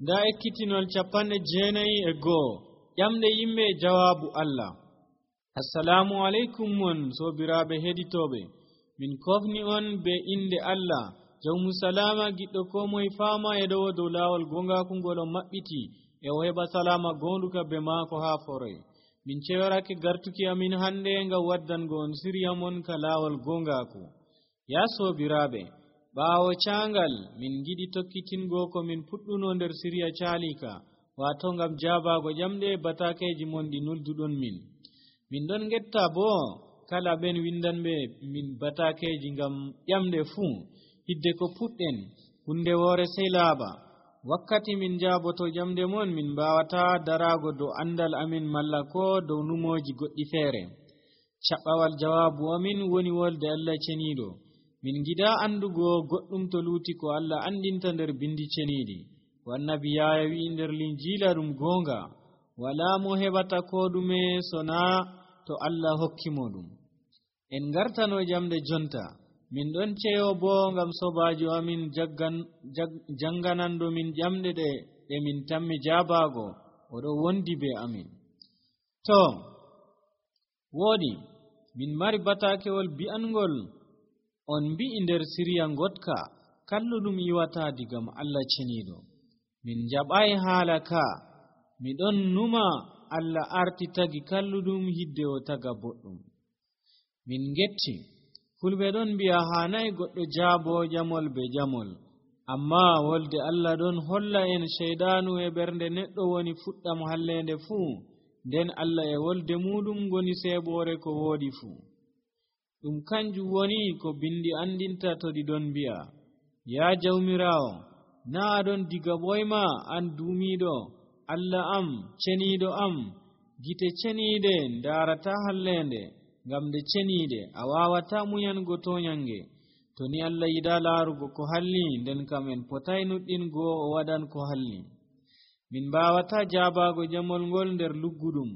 nda ekkitinol 91 ƴamde yimɓe jawaabu Allah. Assalamu aleykum mon sobiraaɓe heɗitooɓe, min kofni on be inde Allah jawmu salama giɗɗo ko moye faama e ɗowo dow laawol gongaaku ngol o maɓɓiti e o heɓa salama gonduka be maako haa foroy. min cewarake gartuki amin hannde ngam waddango on siriya mon ka laawol gongaaku. Ya sobiraaɓe, ɓaawo caangal min giɗi tokkitingo ko min puɗɗuno nder siriya caalika, waato ngam jaabago ƴamɗe batakeji mon ɗi nulduɗon min ɗon getta boo kala ɓen windanɓe min batakeji ngam ƴamɗe fuu hidde ko puɗɗen hunde woore sey laaɓa. wakkati min jaaboto ƴamɗe mon min mbawata darago dow andal amin malla ko dow numoji goɗɗi feere. caɓɓawal jawaabu amin woni wolde Allah ceniiɗo. min gida andugo goɗɗum to luuti ko Allah andinta nder bindi ceniiɗi. wannabi Yahaya wi'i nder linjiila ɗum goonga, wala mo heɓata ko ɗume sona to Allah hokkimo ɗum. en gartano ƴamɗe jonta, min ɗon ceyo boo ngam sobajo amin janganando min ƴamɗe ɗe min tammi jaabago, oɗo wondi be amin. to woodi min mari batakewol bi'angol on mbi'i nder siriya gotka kalluɗum iwata digam Allah ceniiɗo. min jaɓai haala ka, miɗon numa Allah arti tagi kalluɗum hidde o taga boɗɗum. min getti fulɓe ɗon mbi'a hanayi goɗɗo jaabo jamol be jamol, amma wolde Allah ɗon holla en sheydanu e ɓernde neɗɗo woni fuɗɗam hallende fuu, nden Allah e wolde muɗum goni seeɓore ko woodi fuu. ɗum kanjum woni ko bindi andinta to ɗi ɗon mbi'a, ya jawmirawo, na aɗon diga ɓoyma an duumiɗo Allah am ceniiɗo am, gite ceniiɗe ndarata hallende, ngam nde ceniiɗe a wawata muyango toyange. to ni Allah yiɗa laarugo ko halli, nden kam en potay nuɗɗingo o waɗan ko halli. min mbawata jaabago jamol ngol nder lugguɗum,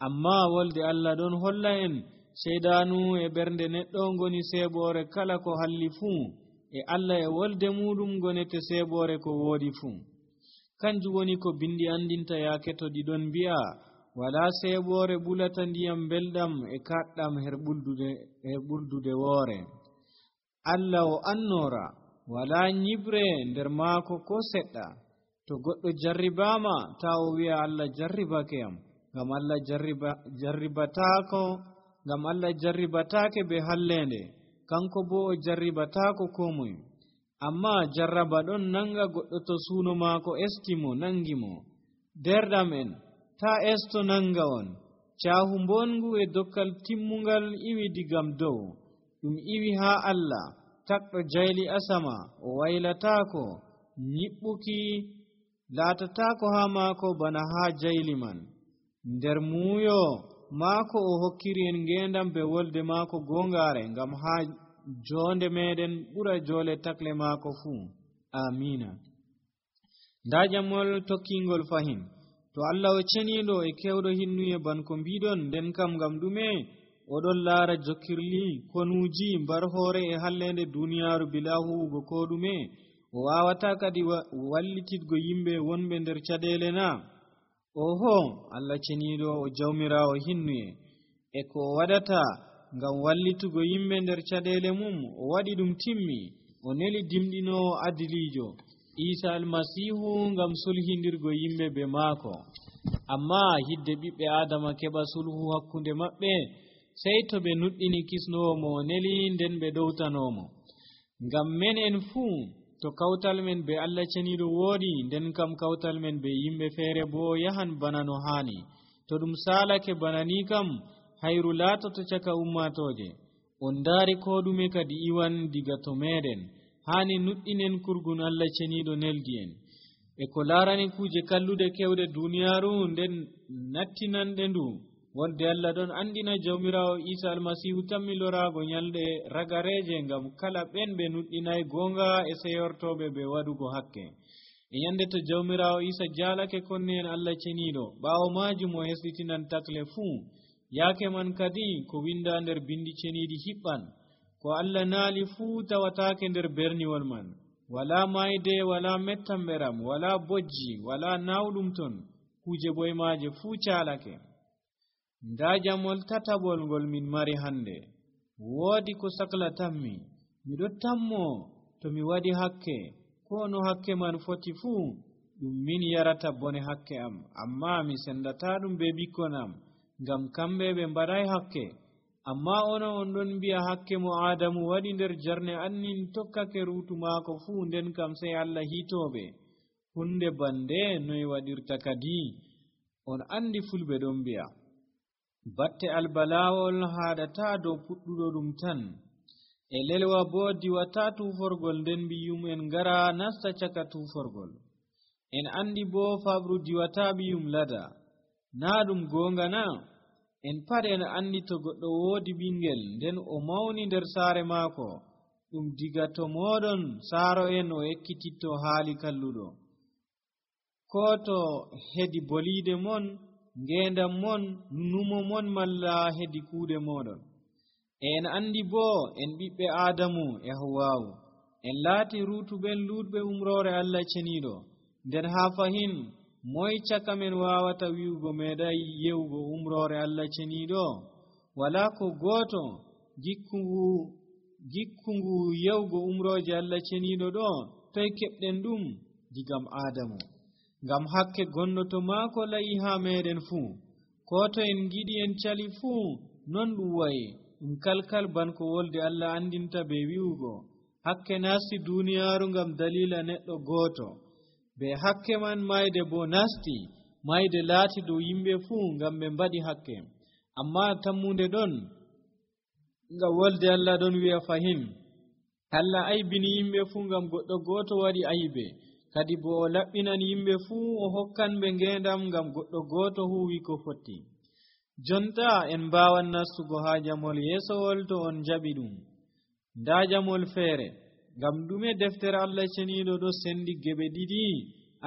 amma wolde Allah ɗon holla en seydanu e ɓernde neɗɗo ngoni seeɓore kala ko halli fuu, e Allah e wolde muɗum gonete seeɓore ko woodi fuu. kanjum woni ko bindi andinta yaake to ɗiɗon mbi'a, wala seeɓore ɓulata ndiyam belɗam e kaɗɗam her ɓurdude woore. Allah o annora, wala nyibre nder maako ko seɗɗa. to goɗɗo jarribama ta o wi'a Allah jarribake am, ngam Allah jarribataake be hallende, kanko bo o jarribatako ko moye. amma jarraba ɗon nanga goɗɗo to suuno maako estimo nangimo. derɗam en, ta esto nanga on. caahu mbongu e dokkal timmungal iwi digam dow, ɗum iwi haa Allah takɗo jayli asama, o waylatako nyiɓɓuki laatatako haa maako bana haa jayli man. nder muuyo maako o hokkiri en ngendam be wolde maako gongare, ngam haa jonde meɗen ɓura jole takle maako fuu. amina. nda jamol tokkingol fahin, to Allah o ceniiɗo e kewɗo hinnuye ban ko mbiɗon, nden kam ngam ɗume oɗon laara jokkirli konuuji mbar hoore e hallende duniyaaru bila huwugo ko ɗume? o wawata kadi wallititgo yimɓe wonɓe nder caɗele na? oho, Allah ceniiɗo o jawmirawo hinnuye, e ko o waɗata ngam wallitugo yimɓe nder caɗele mum, o waɗi ɗum timmi. o neli dimɗinowo adilijo Isa almasihu ngam sulhindirgo yimɓe be maako. amma hidde ɓiɓɓe adama keɓa sulhu hakkunde maɓɓe, sey to ɓe nuɗɗini kisnowo mo o neli, nden ɓe ɗowtanomo. ngam men en fuu, to kawtal men be Allah ceniiɗo woodi, nden kam kawtal men be yimɓe feere bo yahan bana no haani. to ɗum salake bana ni kam, hayru laatoto caka ummatoje. on ndaari ko ɗume kadi iwan diga to meɗen. haani nuɗɗinen kurgun Allah ceniiɗo neldi en e ko laarani kuuje kallude kewɗe duniyaaru, nden nattinanɗe ndu. wolde Allah ɗon andina jawmirawo Isa almasihu tammi loraago nyalɗe ragareje, ngam kala ɓen ɓe nuɗɗinayi goonga e seyortoɓe ɓe waɗugo hakke. e nyande to jawmirawo Isa jaalake konne en Allah ceniiɗo, ɓaawo majum o hesɗitinan takle fuu. yaake man kadi ko winda nder bindi ceniiɗi hiɓɓan, ko Allah naali fuu tawataake nder berniwol man. wala mayde wala mettamberam wala bojji wala nawɗum ton kuje boymaaje fuu caalake. nda jamol tatabol ngol min mari hande. woodi ko saklatanmi, miɗo tammo to mi waɗi hakke ko no hakke man foti fuu ɗum min yarata bone hakke am, amma mi sendata ɗum be bikkon am ngam kamɓe ɓe mbaɗay hakke. amma onon on ɗon mbi'a hakke mo Adamu waɗi nder jarne annin tokkake ruutu maako fuu, nden kam sey Allah hitooɓe. hunde bande noy waɗirta kadi? on andi fulɓe ɗon mbi'a batte albalawol haɗata dow puɗɗuɗo ɗum tan, e lelwa bo diwata tuforgol, nden mbiyum en ngara nasta caka tuforgol. en andi bo faɓru diwata ɓiyum lada. na ɗum gonga na? en pat en andi to goɗɗo woodi ɓingel nden o mawni nder saare maako, ɗum diga to moɗon saaro en o ekkititto haali kalluɗo, ko to hedi boliide mon, ngendam mon, numo mon, malla hedi kuuɗe moɗon. en andi bo en ɓiɓɓe Adamu e Hawwa'u en laati ruutuɓen luutɓe umrore Allah ceniiɗo, nden haa fahin moy caka men wawata wi'ugo meeɗay yewugo umrore Allah ceniiɗo? wala ko gooto gikkungu yewugo umroje Allah ceniiɗo ɗo toy keɓɗen ɗum? digam Adamu. ngam hakke gonno to maako layi haa meɗen fuu, ko to en giɗi en cali fuu non ɗum wayi. ɗum kalkal banko wolde Allah andinta be wi'ugo hakke nasti duniyaaru ngam dalila neɗɗo gooto. be hakke man mayde bo nasti, mayde laati dow yimɓe fuu ngam ɓe mbaɗi hakke. amma tammunde ɗon ngam wolde Allah ɗon wi'a fahin Allah aybini yimɓe fuu ngam goɗɗo gooto waɗi aybe, kadi bo o laɓɓinan yimɓe fuu o hokkan ɓe ngendam ngam goɗɗo gooto huwi ko fotti. jonta en mbawan nastugo haa jamol yeesowol to on jaɓi ɗum. nda jamol feere, ngam ɗume deftere Allah ceniiɗo ɗo sendi geɓe ɗiɗi,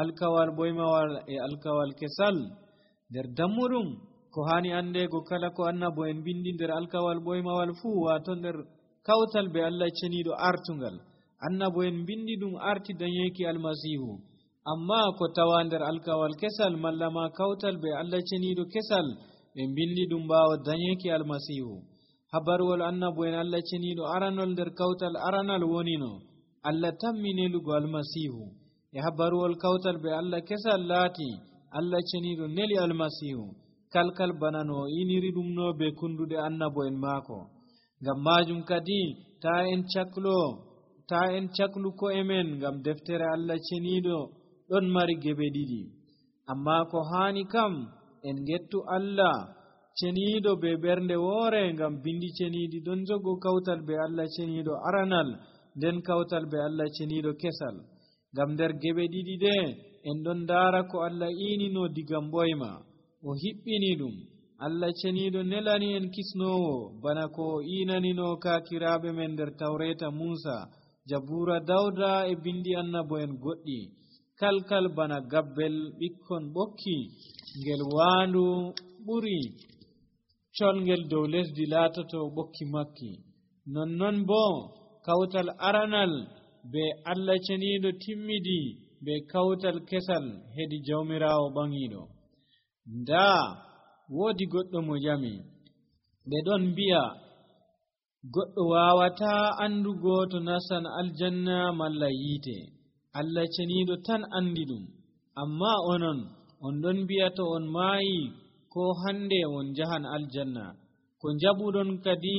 alkawal boymawal e alkawal kesal? nder dammuɗum ko hani andego kala ko annabo en bindi nder alkawal boymawal fuu, wato nder kawtal be Allah ceniiɗo artungal, annabo en bindi ɗum arti dañeki almasihu. amma ko tawa nder alkawal kesal malla ma kawtal be Allah ceniiɗo kesal, ɓe bindi ɗum ɓaawo dañeki almasihu. habarwol annabo en Allah ceniiɗo aranol nder kawtal aranal wonino Allah tammi nelugo almasihu, e habarwol kawtal be Allah kesal laati Allah ceniiɗo neli almasihu, kalkal bana no iniri ɗum no be kunduɗe annabo en maako. ngam majum kadi ta en caklu ko emen, ngam deftere Allah ceniiɗo ɗon mari geɓe ɗiɗi. amma ko hani kam en gettu Allah ceniiɗo be ɓernde woore, ngam bindi ceniiɗi ɗon jogo kawtal be Allah ceniiɗo aranal, nden kawtal be Allah ceniiɗo kesal. ngam nder geɓe ɗiɗi ɗe en ɗon ndaara ko Allah iinino digam ɓoyma, o hiɓɓini ɗum. Allah ceniiɗo nelani en kisnowo bana ko o iinanino kaakiraaɓe men nder tawreta Muusa, Jabuura Dawda e bindi annabo en goɗɗi, kalkal bana gabbel ɓikkon ɓokki ngel waandu ɓuri colngel dow lesdi laatoto ɓokki makki. nonnon bo kawtal aranal be Allah ceniiɗo timmidi be kawtal kesal hedi jawmiraawo ɓangiiɗo. nda woodi goɗɗo mo jami, ɓe ɗon mbi'a goɗɗo wawata andugo to nasan aljanna malla yiite, Allah ceniiɗo tan andi ɗum. amma onon on ɗon mbi'a to on maayi ko hande on jahan aljanna, ko jabuɗon kadi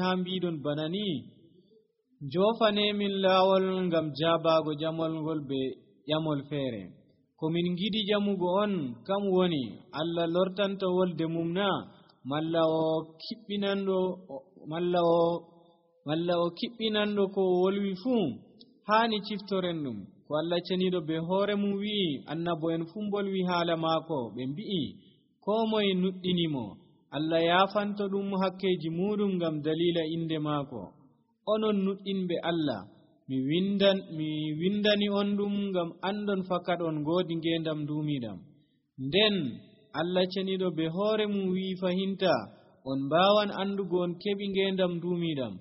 haa mbiɗon bana ni. jofanemin laawol ngam jaabago jamol ngol be ƴamol feere. komin giɗi jamugo on kam woni Allah lortanta wolde mum na, malla o kiɓɓinanɗo ko o wolwi fuu? hani ciftoren ɗum ko Allah ceniiɗo be hoore mum wi'i. annabo en fuu mbolwi haala maako, ɓe mbi'i ko moye nuɗɗinimo Allah yaafanto ɗum hakkeji muɗum ngam dalila inde maako. onon nuɗɗinɓe Allah, mi windani on ɗum ngam andon fakat on ngoodi ngendam duumiɗam. nden Allah ceniiɗo be hoore mum wi'i fahinta on mbawan andugo on keɓi ngendam duumiɗam,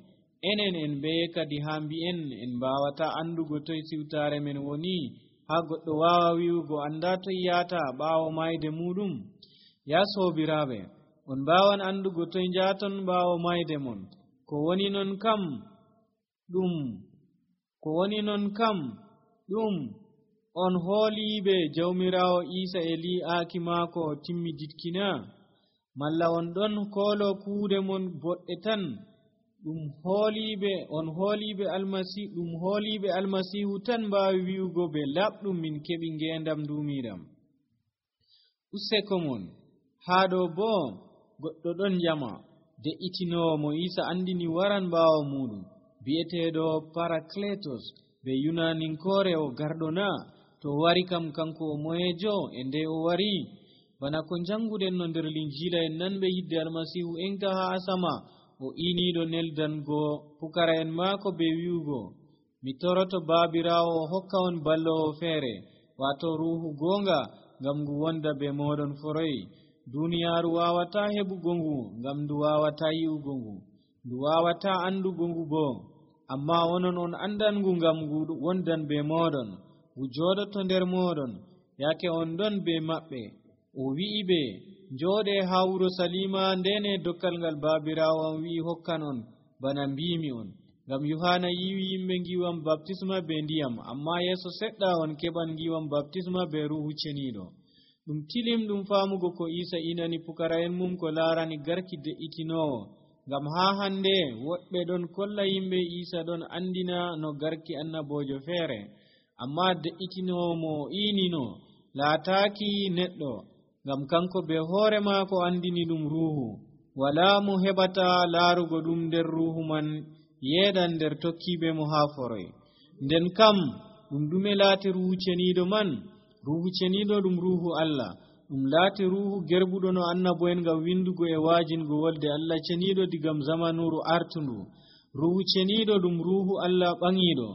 enen en be kadi haa mbi'en en mbaawata andugo toye siwtaare men woni, haa goɗɗo waawa wi'ugo annda toye yahata ɓaawo mayde muɗum. Ya soobiraaɓe, on mbaawan andugo toye njaaton ɓaawo mayde mon. Ko woni non kam ɗum on hooliiɓe Jawmiraawo Iisa e li'aaki maako timmiditkina, malla on ɗon koolo kuuɗe mon boɗɗe tan? ɗum hooliiɓe almasiihu tan mbaawi wi'ugo ɓe laɓɗum min keɓi ngeendam duumiiɗam. Useko mon haa ɗo boo goɗɗo ɗon jama de'itinoowo mo Iisa andini waran ɓaawo muɗum, bi'eteeɗo Parakletos be Yunaninkoore o garɗo na? To wari kam kanko o moyeejo e nde o wari? Bana ko janguɗen no nder Linjiila en nanɓe yidde almasiihu enka haa asama o iniiɗo neldango pukara'en maako be wi'ugo, mi toroto Baabiraawo o hokka on ballowo feere, waato ruuhu goonga, ngam ngu wonda be mooɗon foroy. Duuniyaaru waawataa heɓugo ngu, ngam ndu waawataa yi'ugo ngu, ndu waawataa andugo ngu boo. Ammaa onon on andan ngu, ngam ngu wondan be mooɗon, ngu jooɗoto nder mooɗon. Yaake on ɗon be maɓɓe, o wi'i ɓe, njooɗee haa wuro Salima ndene dokkal ngal Baabiraawo am wi'i hokkan on, bana mbiimi on. Ngam Yohaana yiwi yimɓe ngiwam baptisma be ndiyam, ammaa yeeso seɗɗa on keɓan ngiwam baptisma be Ruuhu Ceniiɗo. Ɗum tilim ɗum faamugo ko Iisa inani pukara'en mum ko laarani garki de'itinoowo, ngam haa hande woɓɓe ɗon kolla yimɓe Iisa ɗon andina no garki annaboojo feere, ammaa de'itinoowo mo iinino laataaki neɗɗo, ngam kanko be hoore maako andini ɗum Ruuhu. Walaa mo heɓata laarugo ɗum nder Ruuhu man yeeɗan nder tokkiiɓe mo haa foroy. Nden kam ɗum ɗume laati Ruuhu Ceniiɗo man? Ruuhu Ceniiɗo ɗum Ruuhu Allah, ɗum laati Ruuhu gerbuɗo no annabo'en ngam windugo e waajingo wolde Allah ceniiɗo digam zamanuru artundu. Ruuhu Ceniiɗo ɗum Ruuhu Allah ɓaŋiiɗo,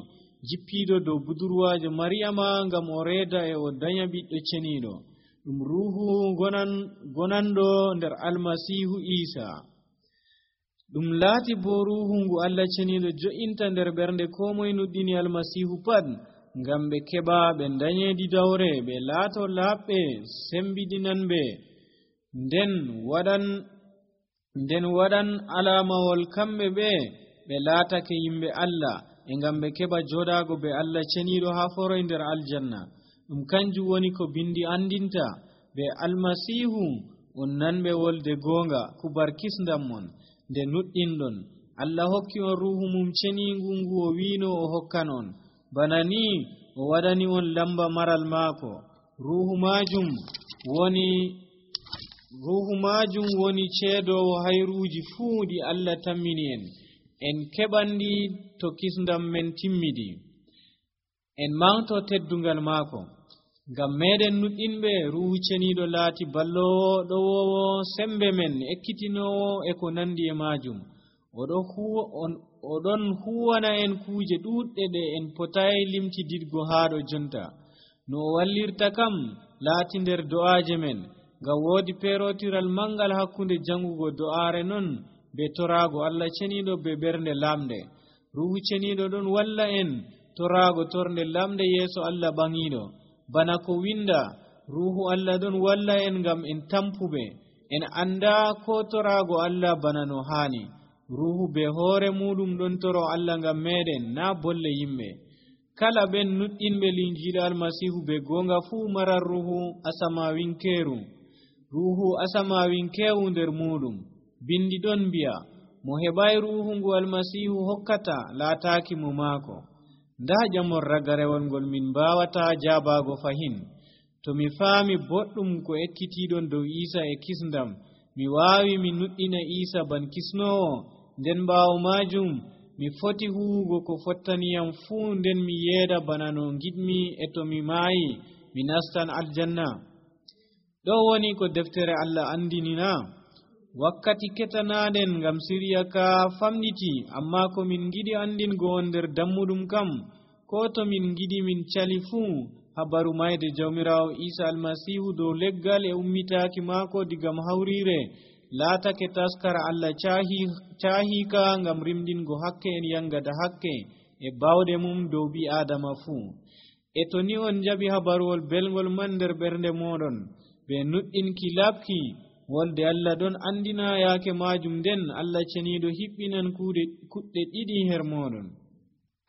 jippiiɗo dow budurwaajo Mariyama ngam o reeda e o danya ɓiɗɗo ceniiɗo. Ɗum Ruuhu gonanɗo nder Almasiihu Iisa. Ɗum laati bo Ruuhu ngu Allah ceniiɗo jo'inta nder ɓernde koo moye nuɗɗini Almasiihu pat, ngam ɓe keɓa ɓe dañeedi dawre, ɓe laato laaɓɓe sembiɗinanɓe, nden waɗan alamawol kamɓe ɓe laatake yimɓe Allah, e ngam ɓe keɓa jooɗaago be Allah ceniiɗo haa foroy nder aljanna. Ɗum kanjum woni ko bindi andinta be Almasiihu on nanɓe wolde goonga kubar kisndam mon nde nuɗɗinɗon. Allah hokki on Ruuhu mum ceniingu ngu o wiino o hokkan on, bana ni o waɗani on lamba maral maako. Ruuhu maajum woni ceedoowo hayruuji fuu ɗi Allah tammini en keɓandi to kisndam men timmidi. En manto teddungal maako. Ngam meɗen nuɗɗinɓe, Ruuhu Ceniiɗo laati ballowo ɗowowo sembe men, ekkitinoowo e ko nandi e maajum. Oɗon huwana en kuuje ɗuuɗɗe ɗe en potayi limtididgo haa ɗo jonta. No o wallirta kam laati nder do'aaje men, ngam woodi peerotiral mangal hakkunde jangugo do'aare non be toraago Allah ceniiɗo be ɓernde lamɗe. Ruuhu Ceniiɗo ɗon walla en toraago tornde lamɗe yeeso Allah ɓaŋiiɗo. Bana ko winda, Ruuhu Allah ɗon walla en ngam en tampuɓe, en anda ko toraago Allah bana no haani. Ruuhu be hoore muɗum ɗon toro Allah ngam meɗen, naa bolle yimɓe. Kala ɓen nuɗɗinɓe Linjiila Almasiihu be goonga fuu maran Ruuhu asamawinkeewu nder muɗum. Bindi ɗon mbi'a, mo heɓay Ruuhu ngu Almasiihu hokkata laataaki mo maako. Ndaa jamon ragarewol ngol min mbaawata jaabaago fahin. To mi faami boɗɗum ko ekkitiiɗon dow Iisa e kisndam, mi waawi mi nuɗɗina Iisa ban kisnoowo, nden ɓaawo maajum mi foti huwugo ko fottaniyam fuu, nden mi yeeda bana no ngiɗmi, e to mi maayi mi nastan aljanna. Ɗo woni ko deftere Allah andinina. Wakkati ketanaaɗen ngam siriya ka famɗiti, amma ko min ngiɗi andingo on nder dammuɗum kam, ko to min ngiɗi min cali fuu, habaru mayde Jawmiraawo Iisa Almasiihu dow leggal e ummitaaki maako digam hawriire laatake taskara Allah caahika ngam rimdingo hakke en yangada hakke e bawde mum dow bi adama fuu. E to ni on jaɓi habaruwol belgol man nder ɓernde moɗon ɓe nuɗɗinki laɓki wolde Allah ɗon andina yaake majum, nden Allah ceniiɗo hiɓɓinan kuɗɗe ɗiɗi her moɗon.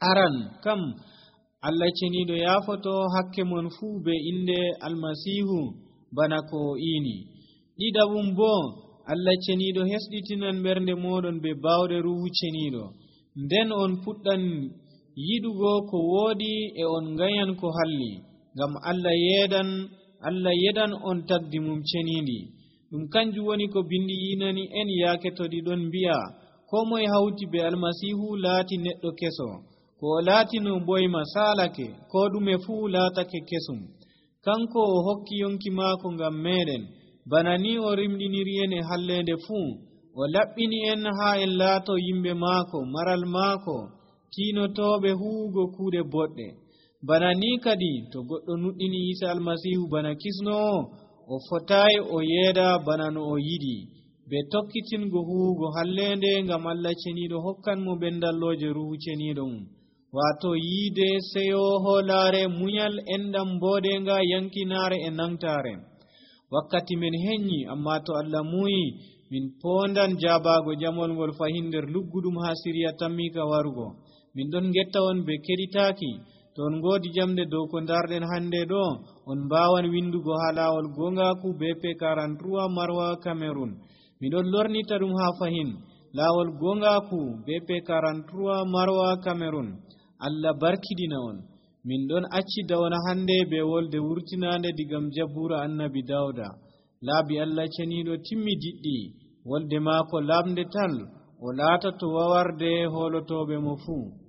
Aran kam Allah ceniiɗo yaafoto hakke mon fuu be inde almasihu bana ko o iini. Ɗiɗaɓum bo Allah ceniiɗo hesɗitinan ɓernde moɗon be bawɗe ruhu ceniiɗo, nden on puɗɗan yiɗugo ko woodi e on ngayan ko halli, ngam Allah yedan on tagdi mum ceniindi. Ɗum kanjum woni ko bindi yinani en yaake to ɗi ɗon mbi'a ko moye hawti be almasihu laati neɗɗo keso, ko o laatino boyma saalake, ko ɗume fuu laatake kesum. Kanko o hokki yonki maako ngam meɗen, bana ni o rimɗiniri en e hallende fuu. O laɓɓini en haa en laato yimɓe maako, maral maako, tiinotoɓe huwugo kuuɗe boɗɗe. Bana ni kadi to goɗɗo nuɗɗini Isa almasihu bana kisnowo, o fotayi o yeeda bana no o yiɗi be tokkitingo huwugo hallende, ngam Allah ceniiɗo hokkan mo ɓendalloje ruhu ceniiɗo mum, wato yiide, seyo, hoolaare, munyal, enɗam, mboodenga, yankinaare e nangtaare. Wakkati men heƴƴi, amma to Allah muuyi min pondan jaabago jamol ngol fahin nder lugguɗum haa Siriya tammika warugo. Min ɗon getta on be keɗitaaki. To on ngoodi jamde dow ko darɗen hande ɗo, on mbawan windugo haa laawol gongaku BP 43 Marwa Cameroon. Miɗon lornita ɗum haa fahin laawol gongaku BP 43 Marwa Cameroon. Allah barkidina on. Min ɗon accida on hande be wolde wurtinande digam Jabura Annabi Dawda. Laabi Allah ceniiɗo timmi diɗɗi, wolde maako lamde tal, o laata to wawarde holotoɓe mo fuu.